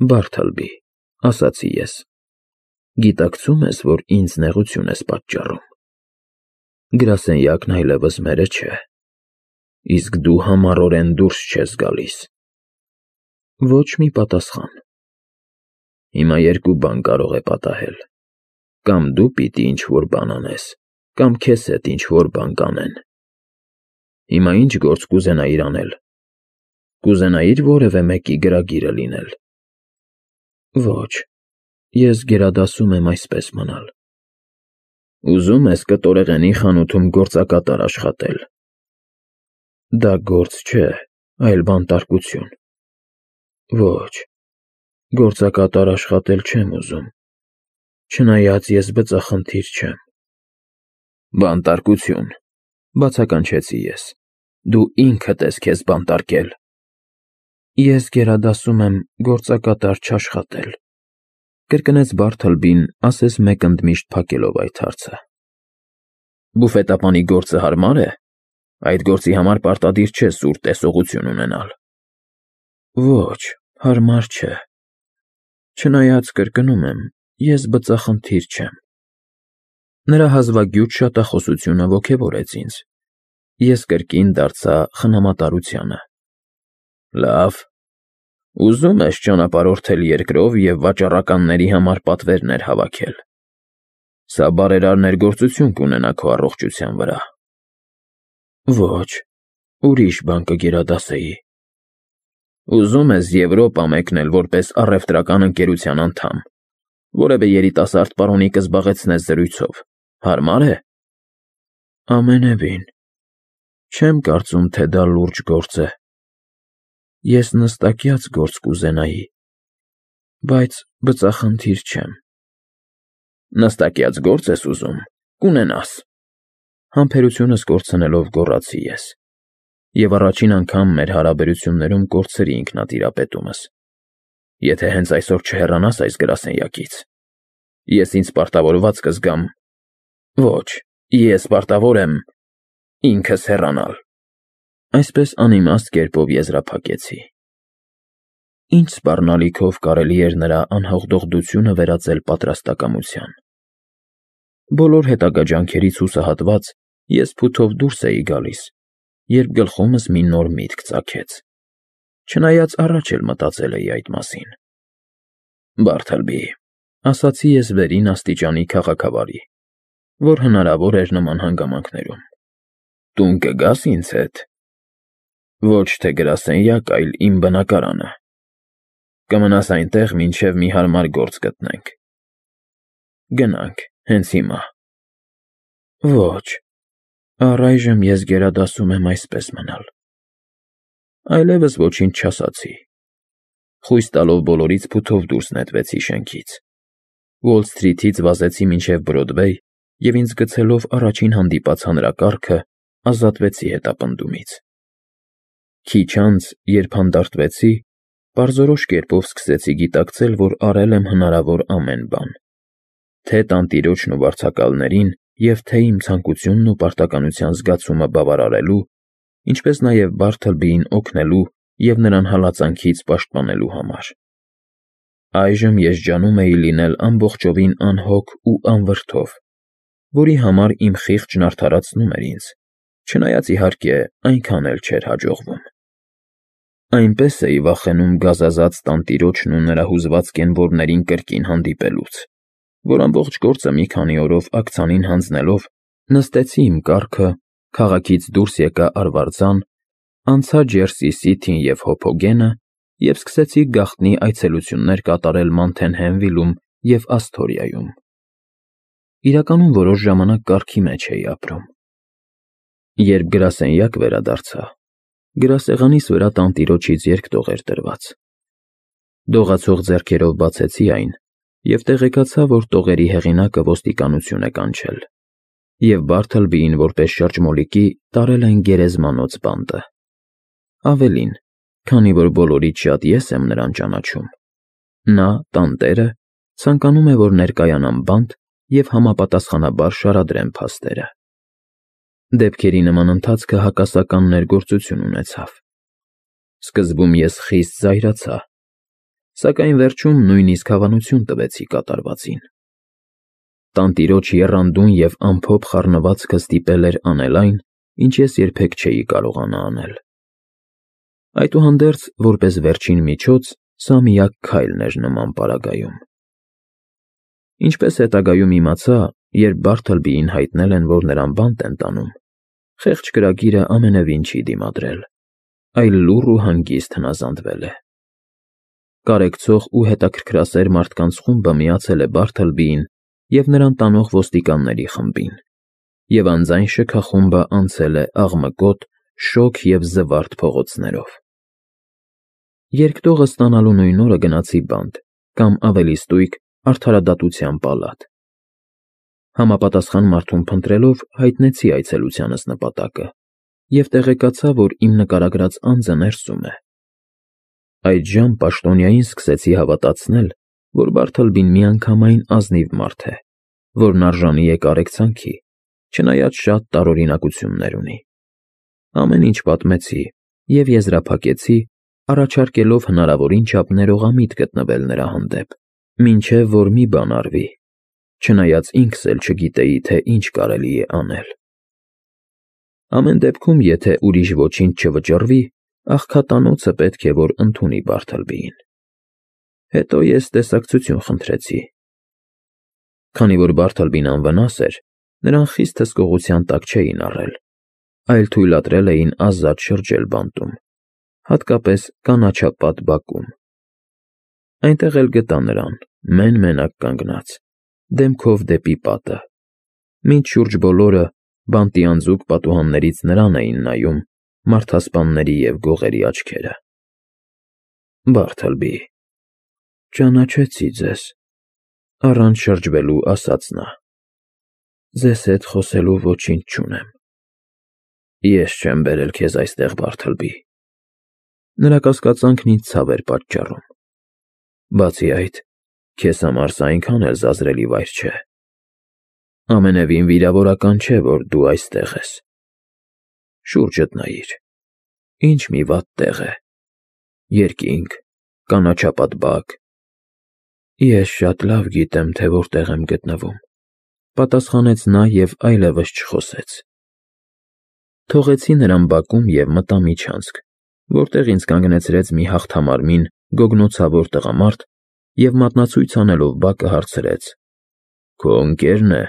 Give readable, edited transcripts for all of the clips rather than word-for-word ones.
Բարթալբի, ասացի ես, գիտակցում ես, որ ինձ նեղություն ես պատճառում։ Գրասենյակն այլևս մերը չէ, իսկ դու համառորեն դուրս չես գալիս։ Ոչ մի պատասխան։ Հիմա երկու բան կարող է պատահել. կամ դու պիտի ինչ-որ բան անես, կամ քեզ հետ ինչ-որ բան կանեն։ Հիմա ինչ գործ կուզենայիր անել։ Կուզենայիր որևէ մեկի գրագիրը լինել։ Ոչ, ես գերադասում եմ այսպես մնալ։ Ուզում ես կտորեղենի խանութում գործակատար աշխատել։ Դա գործ չէ, այլ բանտարկություն։ Ոչ, գործակատար աշխատել չեմ ուզում, չնայած ես բծախնդիր չեմ։ Բանտարկություն, բացականչեցի ես, դու ինքդ ես քեզ բանտարկել։ Ես գերադասում եմ գործակատար չաշխատել, կրկնեց Բարթալբին, ասես մեկ ընդմիշտ փակելով այդ հարցը։ Բուֆետապանի գործը հարմար է։ Այդ գործի համար պարտադիր չէ սուր տեսողություն ունենալ։ Ոչ, հարմար չէ։ Չնայած կրկնում եմ, ես բծախնդիր չեմ։ Նրա հազվագյուտ շատախոսությունը ոգևորեց ինձ։ Ես կրկին դարձա խնամատարությանը։ Լավ, ուզում ես ճանապարհորդել երկրով և վաճառականների համար պատվերներ հավաքել։ Սա բարերար ներգործություն կունենա քո առողջության վրա։ Ոչ, ուրիշ բան կգերադասեի։ Ուզում ես Եվրոպա մեկնել որպես առևտրական ընկերության անդամ, որևէ երիտասարդ պարոնի կզբաղեցնես զրույցով, հարմար է։ Ամենևին, չեմ կարծում, թե դա լուրջ գործ է։ Ես նստակյաց գործ կուզենայի, բայց բծախնդիր չեմ։ Նստակյաց գործ ես ուզում, կունենաս։ Համբերությունս կորցնելով գոռացի ես, և առաջին անգամ մեր հարաբերություններում կորցրի ինքնատիրապետումս։ Եթե հենց այսօր չհեռանաս այս գրասենյակից, ես ինձ պարտավորված կզգամ։ Ոչ, ես պարտավոր եմ ինքս հեռանալ։ Այսպես անիմաստ կերպով եզրափակեցի։ Ինչ սպառնալիքով կարելի էր նրա անհաղթողդությունը վերածել պատրաստակամության։ Բոլոր հետագա ջանքերից հուսահատված, ես փութով դուրս էի գալիս, երբ գլխումս մի նոր միտք ծագեց, չնայած առաջ էլ մտածել էի այդ մասին։ Բարթալբի, ասացի ես վերին աստիճանի քաղաքավարի, որ հնարավոր էր նման հանգամանքներում։ Տուն կգաս ինձ հետ։ Ոչ թե գրասենյակ, այլ իմ բնակարանը։ Կմնաս այնտեղ, մինչև մի հարմար գործ գտնենք։ Գնանք, հենց հիմա։ Ոչ, առայժմ ես գերադասում եմ այսպես մնալ։ Այլևս ոչինչ չասացի։ Խույս տալով բոլորից փութով դուրս նետվեցի շենքից։ Ուոլ Սթրիթից վազեցի մինչև Բրոդվեյ և ինձ գցելով առաջին հանդիպած հանրակարգը, ազատվեցի հետապնդումից։ Քիչ անց, երբ հանդարտվեցի, պարզորոշ կերպով սկսեցի գիտակցել, որ արել եմ հնարավոր ամեն բան։ Թե տանտիրոջն ու վարձակալներին, և թե իմ ցանկությունն ու պարտականության զգացումը բավարարելու, ինչպես նաև Բարթալբիին օգնելու և նրան հալածանքից պաշտպանելու համար։ Այժմ ես ջանում էի լինել ամբողջովին անհոգ ու անվրդով, որի համար իմ խիղճն արդարացնում էր ինձ, չնայած, իհարկե, այնքան էլ չէր հաջողվում։ Այնպես էի վախենում գազազած տանտիրոջն ու նրա հուզված կենվորներին կրկին հանդիպելուց, որ ամբողջ գործը մի քանի օրով աքցանին հանձնելով, նստեցի իմ կառքը, քաղաքից դուրս եկա Արվարձան, անցա Ջերսի Սիթին և Հոփոգենը և սկսեցի գաղտնի այցելություններ կատարել Մանթենհեյմվիլում և Ասթորիայում։ Իրականում որոշ ժամանակ կառքի մեջ էի ապրում։ Երբ գրասենյակ վերադարձա, գրասեղանիս վրա տանտիրոջից երկտող էր դրված։ Դողացող ձեռքերով բացեցի այն և տեղեկացա, որ տողերի հեղինակը ոստիկանություն է կանչել, և Բարթալբիին որպես շրջմոլիկի տարել են գերեզմանոց բանտը։ Ավելին, քանի որ բոլորից շատ ես եմ նրան ճանաչում, նա, տանտերը, ցանկանում է, որ ներկայանամ բանտ և համապատասխանաբար շարադրեմ փաստերը։ Դեպքերի նման ընթացքը հակասական ներգործություն ունեցավ։ Սկզբում ես խիստ զայրացա, Սակայն վերջում նույնիսկ հավանություն տվեցի կատարվածին։ Տանտիրոջ եռանդուն և ամփոփ խառնվածքը ստիպել էր անել այն, ինչ ես երբեք չէի կարողանա անել։ Այդուհանդերձ, որպես վերջին միջոց, սա միակ քայլն էր նման պարագայում։ Ինչպես հետագայում իմացա, երբ Բարթլբիին հայտնել են, որ նրան բանտ են տանում, խեղճ կրագիրը ամենևին չի դիմադրել, այլ լուռ ու հանգիստ հնազանդվել է։ Կարեկցող ու հետաքրքրասեր մարդկանց խումբը միացել է Բարթլբիին և նրան տանող ոստիկանների խմբին, և անձայն շքախումբը անցել է աղմկոտ, շոգ և զվարթ փողոցներով։ Երկտողը ստանալու նույն օրը գնացի բանտ, կամ ավելի ստույգ արդարադատության պալատ։ Համապատասխան մարդուն փնտրելով հայտնեցի այցելությանս նպատակը և տեղեկացա, որ իմ նկարագրած անձը ներսում է։ Այդժամ պաշտոնյային սկսեցի հավատացնել, որ Բարթլբին միանգամայն ազնիվ մարդ է, որն արժանի է կարեկցանքի, չնայած շատ տարօրինակություններ ունի։ Ամեն ինչ պատմեցի և եզրափակեցի, առաջարկելով հնարավորին չափ ներողամիտ գտնվել նրա հանդեպ, մինչև որ մի բան արվի, չնայած ինքս էլ չգիտեի, թե ինչ կարելի է անել։ Ամեն դեպքում, եթե ուրիշ ոչինչ չվճռվի, աղքատանոցը պետք է որ ընդունի Բարթլբիին։ Հետո ես տեսակցություն խնդրեցի։ Քանի որ Բարթլբին անվնաս էր, նրան խիստ հսկողության տակ չէին առել, այլ թույլատրել էին ազատ շրջել բանտում, հատկապես կանաչապատ բակում։ Այնտեղ էլ գտա նրան, մեն֊մենակ կանգնած, դեմքով դեպի պատը, մինչ շուրջ բոլորը բանտի անձուկ պատուհաններից նրան էին նայում մարդասպանների և գողերի աչքերը։ Բարթլբի, ճանաչեցի ձեզ, առանց շրջվելու ասաց նա։ Ձեզ հետ խոսելու ոչինչ չունեմ։ Ես չեմ բերել քեզ այստեղ, Բարթլբի։ Նրա կասկածանքն ինձ ցավ էր պատճառում։ Բացի այդ, քեզ համար սա այնքան էլ զազրելի վայր չէ։ Ամենևին վիրավորական չէ, որ դու այստեղ ես։ Շուրջդ նայիր, ինչ մի վատ տեղ է։ Երկինք, կանաչապատ բակ։ Ես շատ լավ գիտեմ, թե որտեղ եմ գտնվում, պատասխանեց նա և այլևս չխոսեց։ Թողեցի նրան բակում և մտա միջանցք, որտեղ ինձ կանգնեցրեց մի հաղթամարմին, գոգնոցավոր տղամարդ և մատնացույց անելով բակը հարցրեց. Քո ընկե՞րն է։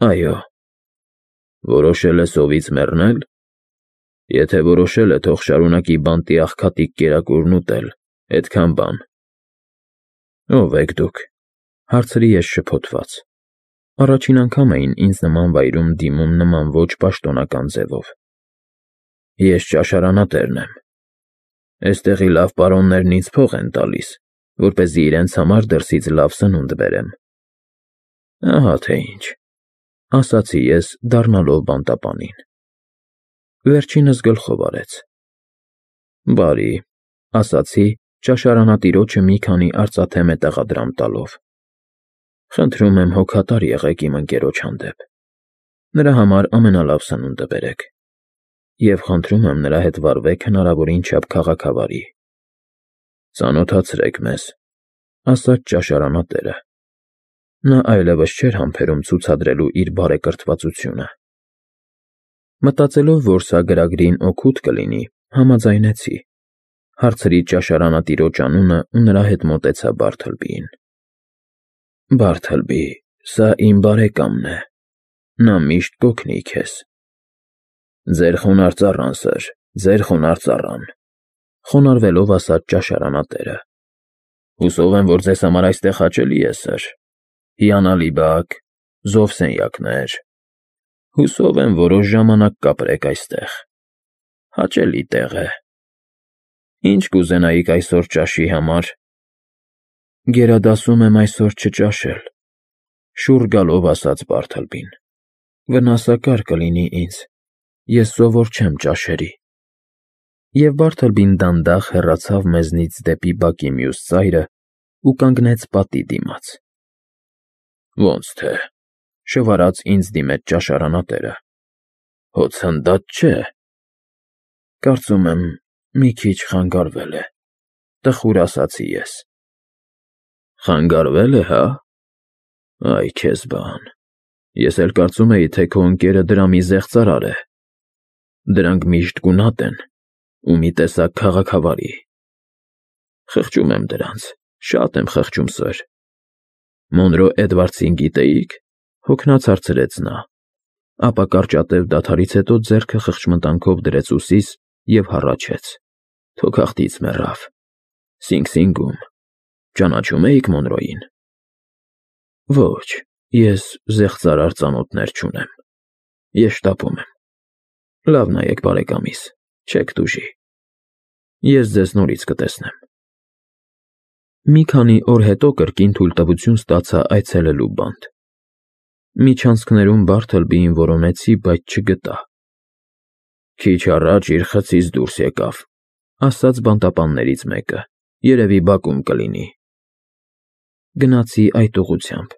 Այո։ Որոշել ես օվից մեռնել։ Եթե որոշել է, թող շարունակի բանտի աղքատիկ կերակուրն ուտել, էդքան բան։ Ո՞վ եք դուք, հարցրի ես շփոթված։ Առաջին անգամ էին ինձ նման վայրում դիմում նման ոչ պաշտոնական ձևով։ Ես ճաշարանատերն եմ։ Էստեղի լավ պարոններն ինձ փող են տալիս, որպեսզի իրենց համար դրսից լավ սնունդ բերեմ։ Ահա թե ինչ, ասացի ես, դառնալով բանտապանին։ Վերջինս գլխով արեց։ Բարի, ասացի, ճաշարանատիրոջը մի քանի արծաթե մետաղադրամ տալով։ Խնդրում եմ հոգատար եղեք իմ ընկերոջ հանդեպ։ Նրա համար ամենալավ սնունդը բերեք։ Եվ խնդրում եմ նրա հետ վարվեք հնարավորին չափ քաղաքավարի։ Ծանոթացրեք մեզ, ասաց ճաշարանատերը։ Նա այլևս չէր համբերում ցուցադրելու իր բարեկրթվածությունը։ Մտածելով, որ սա գրագրին օգուտ կլինի, համաձայնեցի։ Հարցրի ճաշարանատիրոջ անունը ու նրա հետ մոտեցա Բարթլբիին։ Բարթլբի, սա իմ բարեկամն է։ Նա միշտ կօգնի քեզ։ Ձեր խոնարհ ծառան, սըր, ձեր խոնարհ ծառան, խոնարհվելով ասաց ճաշարանատերը։ Հուսով եմ, որ ձեզ համար այստեղ հաճելի է, սըր։ Հիանալի բակ, զով սենյակներ։ Հուսով եմ որոշ ժամանակ կապրեք այստեղ։ Հաճելի տեղ է։ Ինչ կուզենայիք այսօր ճաշի համար։ Գերադասում եմ այսօր չճաշել, շուռ գալով ասաց Բարթլբին։ Վնասակար կլինի ինձ, ես սովոր չեմ ճաշերի։ Եվ Բարթլբին դանդաղ հեռացավ մեզնից դեպի բակի մյուս ծայրը ու կանգնեց պատի դիմաց։ Ոնց թե, շվարած ինձ դիմեց ճաշարանատերը։ Հո ցնդած չէ։ Կարծում եմ, մի քիչ խանգարվել է։ տխուր ասացի ես։ Խանգարվել է, հա։ Այ քեզ բան։ Ես էլ կարծում էի, թե քո ընկերը դրամի զեղծարար է։ Դրանք միշտ գունատ են ու մի տեսակ քաղաքավարի։ Խղճում եմ դրանց, շատ եմ խղճում, սըր։ Մոնրո Էդվարդսին գիտեիք, հոգնած հարցրեց նա, ապա կարճատև դադարից հետո ձեռքը խղճմտանքով դրեց ուսիս և հառաչեց. Թոքախտից մեռավ։ Սինգ-Սինգում։ Ճանաչում էիք Մոնրոյին։ Ոչ, ես զեղծարար ծանոթներ չունեմ։ Ես շտապում եմ։ Լավ նայեք, բարեկամիս, չեք տուժի։ Ես ձեզ նորից կտեսնեմ։ Մի քանի օր հետո կրկին թույլտվություն ստացա այցելելու բանտ։ Միջանցքներում Բարթլբիին որոնեցի, բայց չգտա։ Քիչ առաջ իր խցից դուրս եկավ, ասաց բանտապաններից մեկը, երևի բակում կլինի։ Գնացի այդ ուղղությամբ։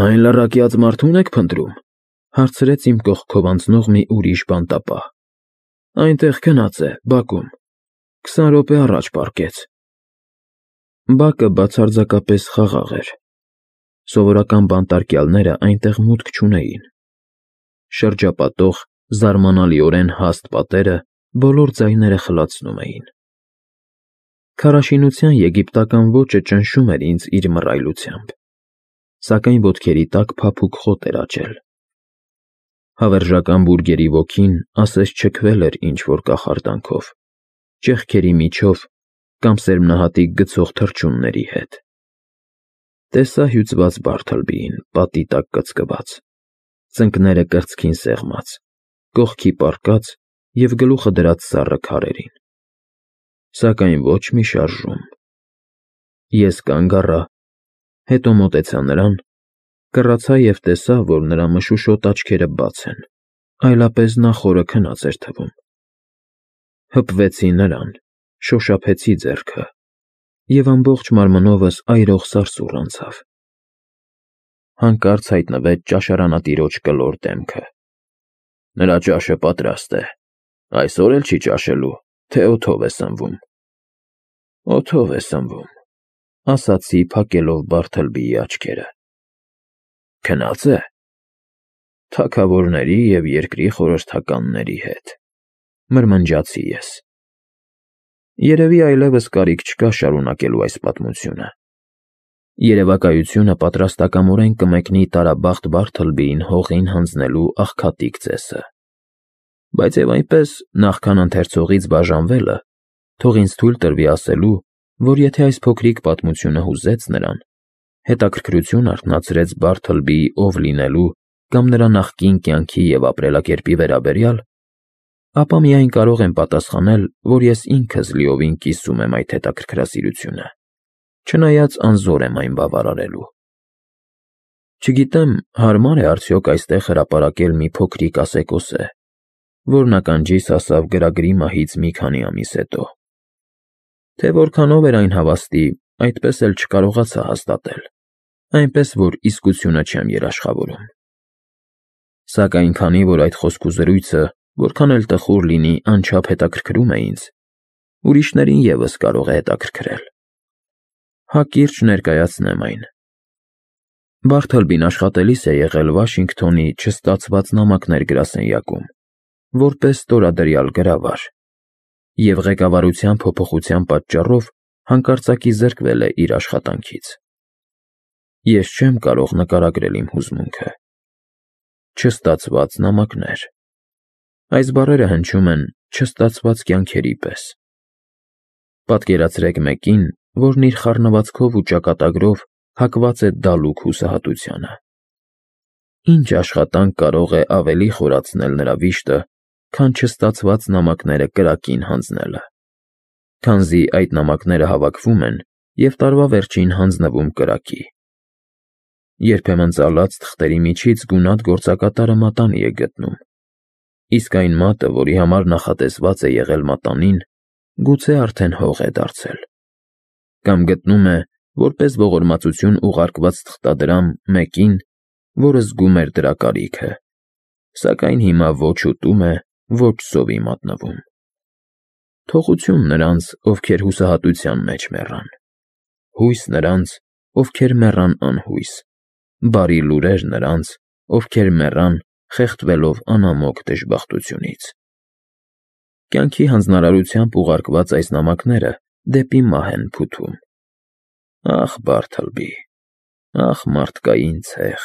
Այն լռակյաց մարդու՞ն եք փնտրում, հարցրեց իմ կողքով անցնող մի ուրիշ բանտապահ։ Այնտեղ գնաց է, բակում, 20 րոպե առաջ պառկեց։ Բակը բացարձակապես խաղաղ էր։ Սովորական բանտարկյալները այնտեղ մուտք չունեին։ Շրջապատող զարմանալիորեն հաստ պատերը բոլոր ձայները խլացնում էին։ Քարաշինության եգիպտական ոճը ճնշում էր ինձ իր մռայլությամբ, սակայն ոտքերի տակ փափուկ խոտ էր աճել։ Հավերժական բուրգերի ոգին ասես չքվել էր ինչ-որ կախարդանքով, ճեղքերի միջով կամ սերմնահատիկ գցող թռչունների հետ։ Տեսա հյուծված Բարթլբիին, պատի տակ կծկված, ծնկները կրծքին սեղմած, կողքի պառկած և գլուխը դրած սառը քարերին։ Սակայն ոչ մի շարժում։ Ես կանգ առա, հետո մոտեցա նրան, կռացա և տեսա, որ նրա մշուշոտ աչքերը բաց են, այլապես նա խորը քնած էր թվում։ Հպվեցի նրան, շոշափեցի ձեռքը, և ամբողջ մարմնովս այրող սարսուռ անցավ։ Հանկարծ հայտնվեց ճաշարանատիրոջ կլոր դեմքը։ Նրա ճաշը պատրաստ է։ Այսօր էլ չի ճաշելու, թե օդով է սնվում։ Օդով է սնվում, ասացի, փակելով Բարթլբիի աչքերը։ Քնած է։ Թագավորների և երկրի խորհրդականների հետ, մրմնջացի ես։ Երևի այլևս կարիք չկա շարունակելու այս պատմությունը։ Երևակայությունը պատրաստակամորեն կմեկնի տարաբախտ Բարթլբիին հողին հանձնելու աղքատիկ ծեսը։ Բայց և այնպես, նախքան ընթերցողից բաժանվելը, թող ինձ թույլ տրվի ասելու, որ եթե այս փոքրիկ պատմությունը հուզեց նրան, հետաքրքրություն արթնացրեց Բարթլբիի ով լինելու կամ նրա նախկին կյանքի և ապրելակերպի վերաբերյալ, ապա միայն կարող եմ պատասխանել, որ ես ինքս լիովին կիսում եմ այդ հետաքրքրասիրությունը, չնայած անզոր եմ այն բավարարելու։ Չգիտեմ, հարմար է արդյոք այստեղ հրապարակել մի փոքրիկ ասեկոսե, որն ականջիս հասավ գրագրի մահից մի քանի ամիս հետո։ Թե որքանով էր այն հավաստի, այդպես էլ չկարողացա հաստատել, այնպես որ իսկությունը չեմ երաշխավորում։ Սակայն քանի որ այդ խոսքուզրույցը, որքան էլ տխուր լինի, անչափ հետաքրքրում է ինձ, ուրիշներին ևս կարող է հետաքրքրել։ Հակիրճ ներկայացնեմ այն։ Բարթլբին աշխատելիս է եղել Վաշինգթոնի չստացված նամակներ գրասենյակում, որպես ստորադրյալ գրավար, և ղեկավարության փոփոխության պատճառով հանկարծակի զրկվել է իր աշխատանքից։ Ես չեմ կարող նկարագրել իմ հուզմունքը։ Չստացված նամակներ։ Այս բառերը հնչում են չստացված կյանքերի պես։ Պատկերացրեք մեկին, որն իր խառնվածքով ու ճակատագրով հակված է դալուկ հուսահատությանը։ Ինչ աշխատանք կարող է ավելի խորացնել նրա վիշտը, քան չստացված նամակները կրակին հանձնելը, քանզի այդ նամակները հավաքվում են և տարվա վերջին հանձնվում կրակի։ Երբեմն ծալած թղթերի միջից գունատ գործակատարը մատանի է գտնում, իսկ այն մատը, որի համար նախատեսված է եղել մատանին, գուցե արդեն հող է դարձել։ Կամ գտնում է, որպես ողորմածություն ուղարկված թղթադրամ մեկին, որը զգում էր դրա կարիքը, սակայն հիմա ոչ ուտում է, ոչ սովի մատնվում։ Թողություն նրանց, ովքեր հուսահատության մեջ մեռան, հույս նրանց, ովքեր մեռան անհույս, բարի լուրեր նրանց, ովքեր մեռան, խեղդվելով անամոք դժբախտությունից։ Կյանքի հանձնարարությամբ ուղարկված այս նամակները դեպի մահ են փութում։ Ախ, Բարթլբի, ախ, մարդկային ցեխ։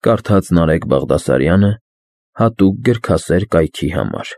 Կարդաց Նարեկ Բաղդասարյանը հատուկ գրքասեր կայքի համար։